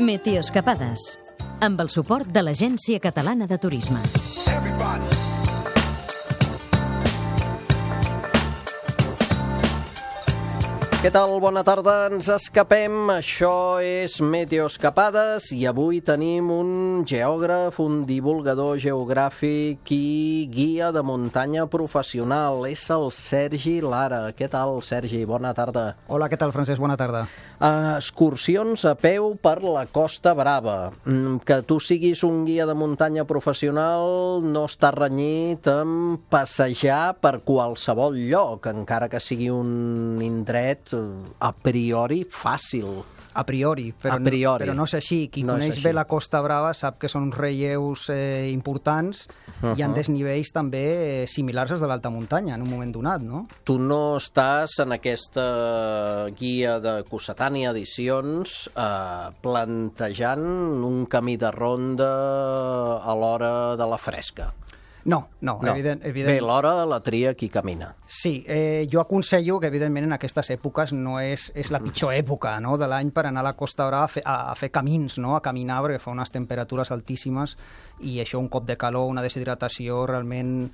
Meteoscapades, amb el suport de l'Agència Catalana de Turisme. Què tal? Bona tarda, ens escapem. Això és Meteoscapades i avui tenim un geògraf, un divulgador geogràfic i guia de muntanya professional. És el Sergi Lara. Què tal, Sergi? Bona tarda. Hola, què tal, Francesc? Bona tarda. Excursions a peu per la Costa Brava. Que tu siguis un guia de muntanya professional no està renyit amb passejar per qualsevol lloc, encara que sigui un indret a priori fàcil. A priori, però no és així. Qui coneix bé la Costa Brava sap que són uns relleus importants i en desnivells també similars als de l'alta muntanya en un moment donat, no? Tu no estàs en aquesta guia de Cossetània Edicions plantejant un camí de ronda a l'hora de la fresca. No. Evident. Bé, l'hora la tria qui camina. Sí, jo aconsello que, evidentment, en aquestes èpoques no és la pitjor època, no?, de l'any per anar a la Costa Brava a fer camins, no?, a caminar, perquè fa unes temperatures altíssimes i això, un cop de calor, una deshidratació, realment,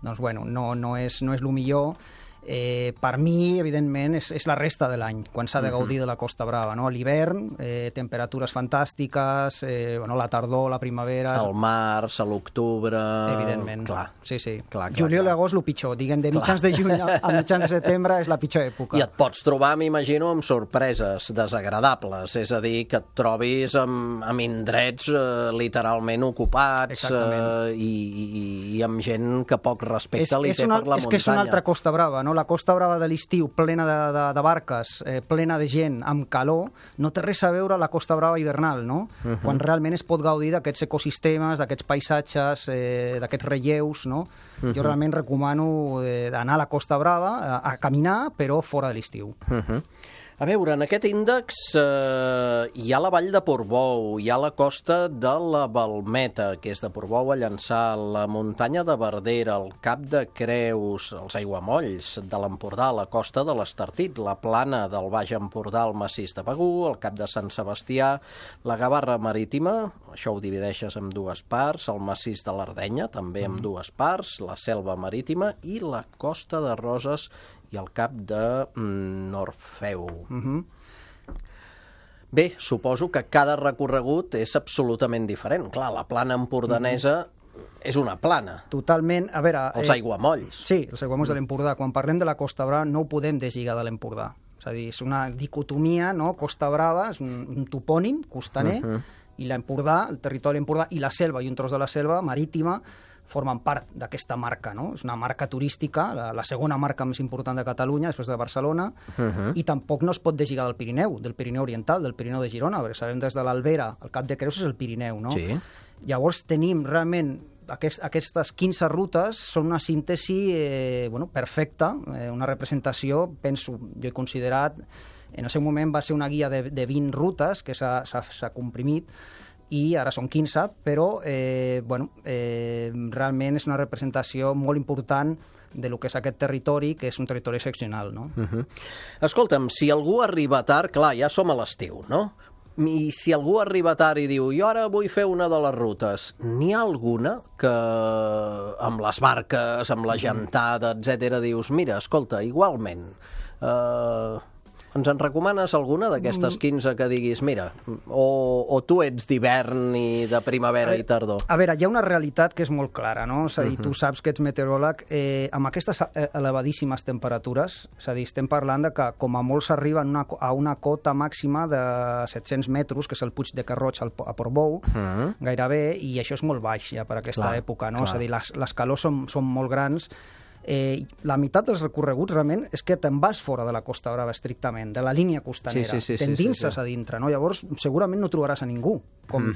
doncs, bueno, no és el millor. Per mi, evidentment, és la resta de l'any, quan s'ha de gaudir de la Costa Brava, no? A l'hivern, temperatures fantàstiques, la tardor, la primavera... Al març, a l'octubre... Evidentment. Clar. Sí. Clar. Juliol i agost, el pitjor. Diguem, de mitjans de juny a mitjans de setembre és la pitjor època. I et pots trobar, m'imagino, amb sorpreses desagradables, és a dir, que et trobis amb indrets literalment ocupats i amb gent que poc respecte li té per la muntanya. És que és una altra Costa Brava, no? La Costa Brava de l'estiu, plena de barques, plena de gent, amb calor, no té res a veure la Costa Brava hivernal, no? Quan realment es pot gaudir d'aquests ecosistemes, d'aquests paisatges, d'aquests relleus, no? Jo realment recomano anar a la Costa Brava a caminar, però fora de l'estiu. A veure, en aquest índex hi ha la vall de Portbou, hi ha la costa de la Balmeta, que és de Portbou a Llançà, la muntanya de Verdera, el Cap de Creus, els aiguamolls de l'Empordà, la costa de l'Estartit, la plana del Baix Empordà, el massís de Begur, el Cap de Sant Sebastià, la Gavarra Marítima, això ho divideixes en dues parts, el massís de l'Ardenya, també en dues parts, la Selva Marítima i la costa de Roses i el cap de Norfeu. Bé, suposo que cada recorregut és absolutament diferent. Clar, la plana empordanesa és una plana. Totalment. A veure... Els aiguamolls. Sí, els aiguamolls de l'Empordà. Quan parlem de la Costa Brava no ho podem deslligar de l'Empordà. És a dir, és una dicotomia, no? Costa Brava és un topònim costaner i l'Empordà, el territori de l'Empordà i la selva i un tros de la selva marítima formen part d'aquesta marca, no? És una marca turística, la segona marca més important de Catalunya, després de Barcelona, i tampoc no es pot deslligar del Pirineu Oriental, del Pirineu de Girona, perquè sabem des de l'Albera, el Cap de Creus és el Pirineu, no? Sí. Llavors tenim realment aquestes 15 rutes, són una síntesi perfecta, una representació, penso, jo he considerat, en el seu moment va ser una guia de 20 rutes que s'ha comprimit, i ara són 15, però realment és una representació molt important de lo que és aquest territori, que és un territori excepcional, no? Escolta'm, si algú arriba tard, clar, ja som a l'estiu, no? I si algú arriba tard i diu jo ara vull fer una de les rutes, n'hi ha alguna que amb les barques, amb la gentada, etc., dius, mira, escolta, igualment... Ens en recomanes alguna d'aquestes 15 que diguis, mira, o tu ets d'hivern i de primavera i tardor? A veure, hi ha una realitat que és molt clara, no? És a dir, tu saps que ets meteoròleg, amb aquestes elevadíssimes temperatures, és a dir, estem parlant de que com a molt s'arriba a una cota màxima de 700 metres, que és el Puig de Carroig a Portbou, gairebé, i això és molt baix ja per aquesta època, no? És a dir, les calors són molt grans. La meitat dels recorreguts realment és que te'n vas fora de la Costa Brava estrictament, de la línia costanera, t'endinses a dintre, no? Llavors segurament no trobaràs a ningú,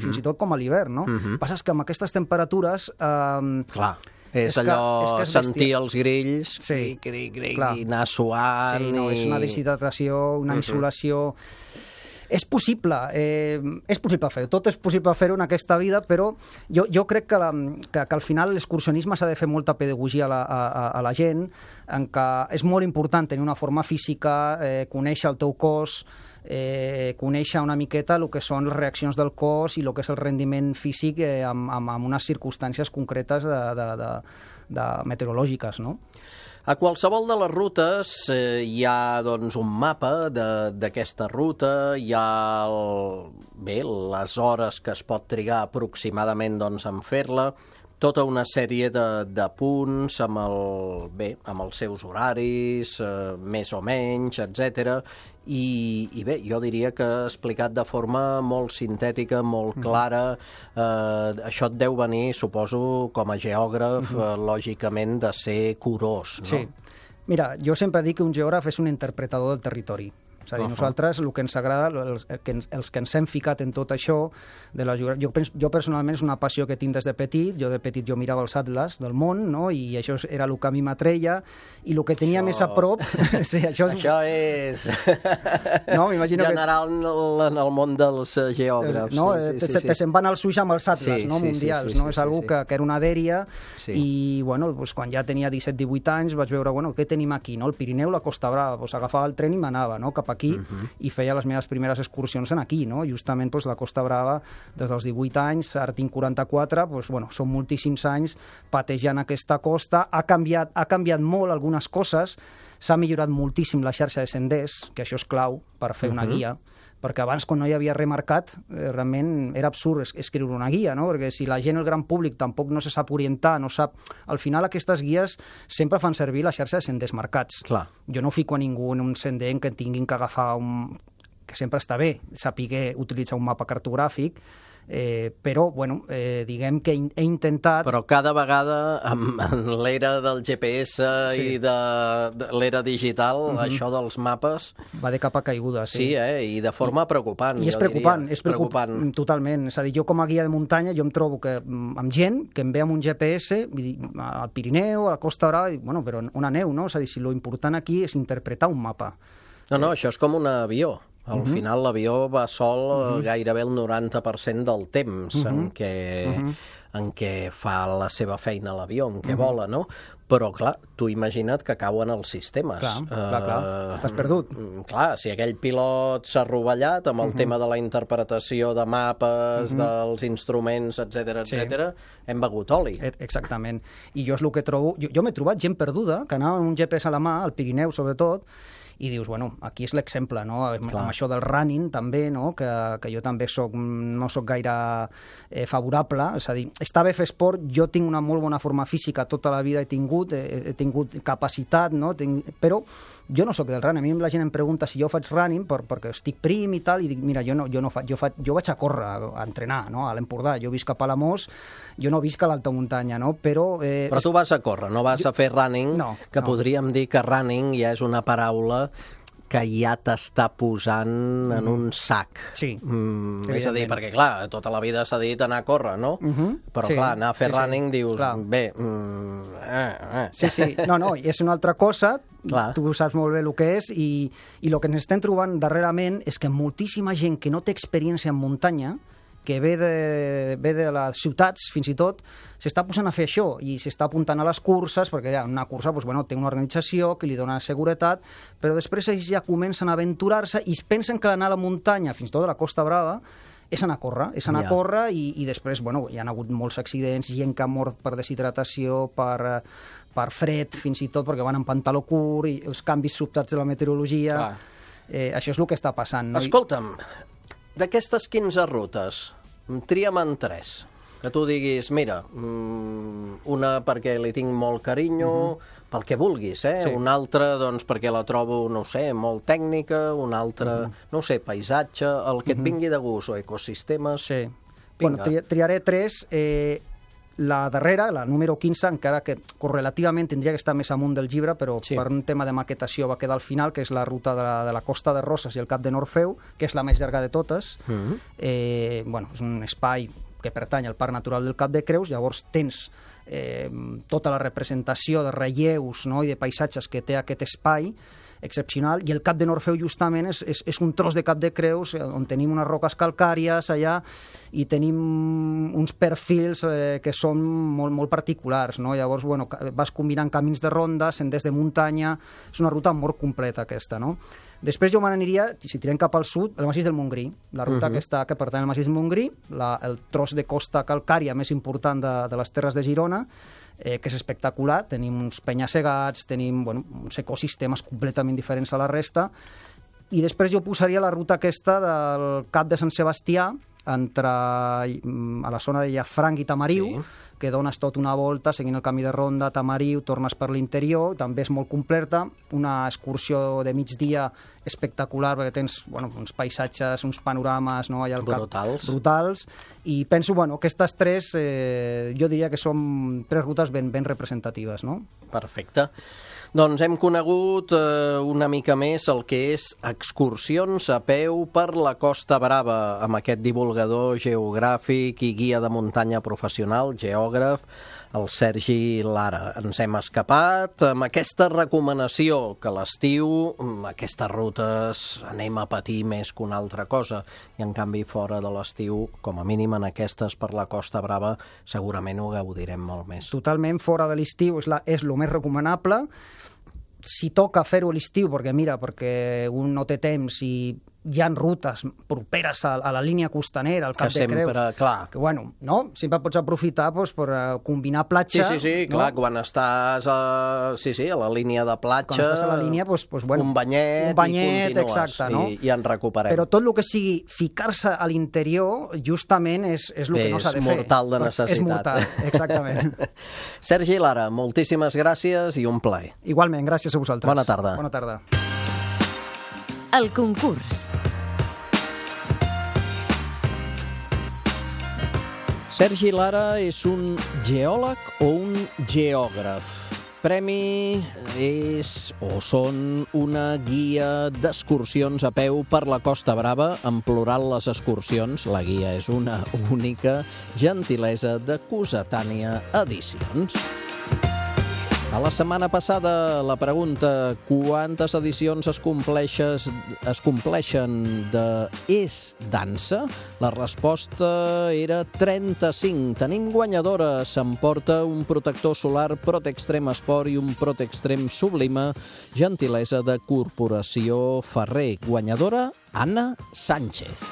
fins i tot com a l'hivern, no? Passa que amb aquestes temperatures... Clar, és allò, sentir els grills, i anar suant... Sí, no, és una deshidratació, una insolació... És possible fer-ho, tot és possible fer-ho en aquesta vida, però jo crec que al final l'excursionisme s'ha de fer molta pedagogia a la gent, en què és molt important tenir una forma física, conèixer el teu cos, conèixer una miqueta el que són les reaccions del cos i el que és el rendiment físic amb unes circumstàncies concretes de meteorològiques, no? A qualsevol de les rutes hi ha doncs, un mapa d'aquesta ruta, hi ha les hores que es pot trigar aproximadament doncs, en fer-la, tota una sèrie de punts amb els seus horaris, més o menys, etc. I bé, jo diria que explicat de forma molt sintètica, molt clara, això et deu venir, suposo, com a geògraf, lògicament, de ser curós, no? Sí. Mira, jo sempre dic que un geògraf és un interpretador del territori. És a dir, nosaltres el que ens agrada, els que ens hem ficat en tot això, jo personalment és una passió que tinc des de petit. Jo de petit mirava els atles del món, no? I això era el que a mi m'atreia, i el que tenia més a prop... Sí, això és no, general en el món dels geògrafs. No, se'n van als ulls amb els atles mundials, no? És algo que era una dèria, i bueno, quan ja tenia 17-18 anys vaig veure, què tenim aquí, no? El Pirineu, la Costa Brava, agafava el tren i m'anava cap aquí, i feia les meves primeres excursions aquí, no? Justament la Costa Brava, des dels 18 anys, ara tinc 44, són moltíssims anys patejant aquesta costa. Ha canviat molt algunes coses, s'ha millorat moltíssim la xarxa de senders, que això és clau per fer una guia, perquè abans, quan no hi havia remarcat, realment era absurd escriure una guia, no? Perquè si la gent, el gran públic, tampoc no se sap orientar, no sap... Al final, aquestes guies sempre fan servir la xarxa de senders marcats. Clar. Jo no fico a ningú en un sender en què tinguin que agafar que sempre està bé, saber utilitzar un mapa cartogràfic, però, diguem que he intentat... Però cada vegada, en l'era del GPS i de l'era digital, això dels mapes... Va de capa caiguda, sí. Sí, i de forma preocupant, I és preocupant, és preocupant. Totalment. És a dir, jo com a guia de muntanya, jo em trobo amb gent que em ve amb un GPS, al Pirineu, a la Costa Brava, però on aneu, no? És a dir, si l'important aquí és interpretar un mapa. No, això és com un avió. Al final l'avió va sol gairebé el 90% del temps en què fa la seva feina l'avió, en què vola, no? Però, clar, tu imagina't que cauen els sistemes. Clar. Estàs perdut. Clar, si aquell pilot s'ha rovellat amb el tema de la interpretació de mapes, dels instruments, etc., hem begut oli. Exactament. I jo és el que trobo... Jo m'he trobat gent perduda, que anava amb un GPS a la mà, al Pirineu sobretot, i dius, aquí és l'exemple, no? Amb això del running també, no? Que jo també no soc gaire favorable, és a dir, està bé fer esport, jo tinc una molt bona forma física, tota la vida he tingut capacitat, no? Però jo no soc del running. A mi la gent em pregunta si jo faig running perquè estic prim i tal, i dic, mira, jo vaig a córrer, a entrenar, no? A l'Empordà, jo visc a Palamós, jo no visc a l'alta muntanya, no? Però tu vas a córrer, no vas a fer running, podríem dir que running ja és una paraula que ja t'està posant en un sac. Sí. És a dir, perquè, clar, tota la vida s'ha dit anar a córrer, no? Però, clar, anar a fer running, dius, bé... Sí. No, és una altra cosa, tu saps molt bé el que és, i el que ens estem trobant darrerament és que moltíssima gent que no té experiència en muntanya, que ve de les ciutats, fins i tot, s'està posant a fer això i s'està apuntant a les curses, perquè una cursa té una organització que li dona seguretat, però després ells ja comencen a aventurar-se i es pensen que anar a la muntanya, fins i tot a la Costa Brava, és anar a córrer, i després, hi ha hagut molts accidents, gent que ha mort per deshidratació, per fred, fins i tot, perquè van en pantaló curt, i els canvis sobtats de la meteorologia. Això és el que està passant, no? Escolta'm, d'aquestes 15 rutes, tria'm en 3. Que tu diguis, mira, una perquè li tinc molt carinyo, pel que vulguis, una altra, doncs, perquè la trobo, no sé, molt tècnica, una altra, no sé, paisatge, el que et vingui de gust, o ecosistemes... Sí. Triaré 3. La darrera, la número 15, encara que correlativament tindria que estar més amunt del llibre, però per un tema de maquetació va quedar al final, que és la ruta de la Costa de Roses i el Cap de Norfeu, que és la més llarga de totes. És un espai que pertany al Parc Natural del Cap de Creus, llavors tens tota la representació de relleus, no?, i de paisatges que té aquest espai excepcional, i el Cap de Norfeu justament és un tros de Cap de Creus on tenim unes roques calcàries allà i tenim uns perfils que són molt, molt particulars, no? Llavors, vas combinant camins de ronda, senders de muntanya, és una ruta molt completa aquesta, no? Després jo me n'aniria, si tirem cap al sud, el massís del Montgrí, la ruta que pertany al massís del Montgrí, el tros de costa calcària més important de les Terres de Girona, que és espectacular. Tenim uns penya-segats, tenim uns ecosistemes completament diferents a la resta, i després jo posaria la ruta aquesta del Cap de Sant Sebastià, a la zona de Llafranc i Tamariu, que dones tot una volta seguint el camí de ronda, Tamariu, tornes per l'interior, també és molt completa, una excursió de migdia espectacular, perquè tens uns paisatges, uns panorames allà al cap brutals, i penso que aquestes tres jo diria que són tres rutes ben representatives. No? Perfecte. Doncs hem conegut una mica més el que és excursions a peu per la Costa Brava, amb aquest divulgador geogràfic i guia de muntanya professional, geògraf, el Sergi Lara. Ens hem escapat amb aquesta recomanació que a l'estiu aquestes rutes anem a patir més que una altra cosa, i en canvi fora de l'estiu, com a mínim en aquestes per la Costa Brava, segurament ho gaudirem molt més. Totalment, fora de l'estiu és el més recomanable. Si toca fer-ho a l'estiu, perquè un no té temps i hi ha rutes properes a la línia costanera, al Cap de Creus, que sempre pots aprofitar per combinar platja. Sí, clar, quan estàs a la línia de platja, quan estàs a la línia, un banyet i continues, exacte, no? I en recuperem. Però tot el que sigui ficar-se a l'interior, justament és el que no s'ha de fer. És mortal de necessitat. És mortal, exactament. Sergi Lara, moltíssimes gràcies i un plaer. Igualment, gràcies a vosaltres. Bona tarda. Bona tarda. El concurs. Sergi Lara és un geòleg o un geògraf? Premi és o són una guia d'excursions a peu per la Costa Brava, en plural les excursions. La guia és una única, gentilesa de Cossetània Edicions. A la setmana passada, la pregunta: quantes edicions es compleixen de És Dansa? La resposta era 35. Tenim guanyadora. S'emporta un protector solar Protextrem Esport i un Protextrem Sublima, gentilesa de Corporació Ferrer. Guanyadora, Anna Sánchez.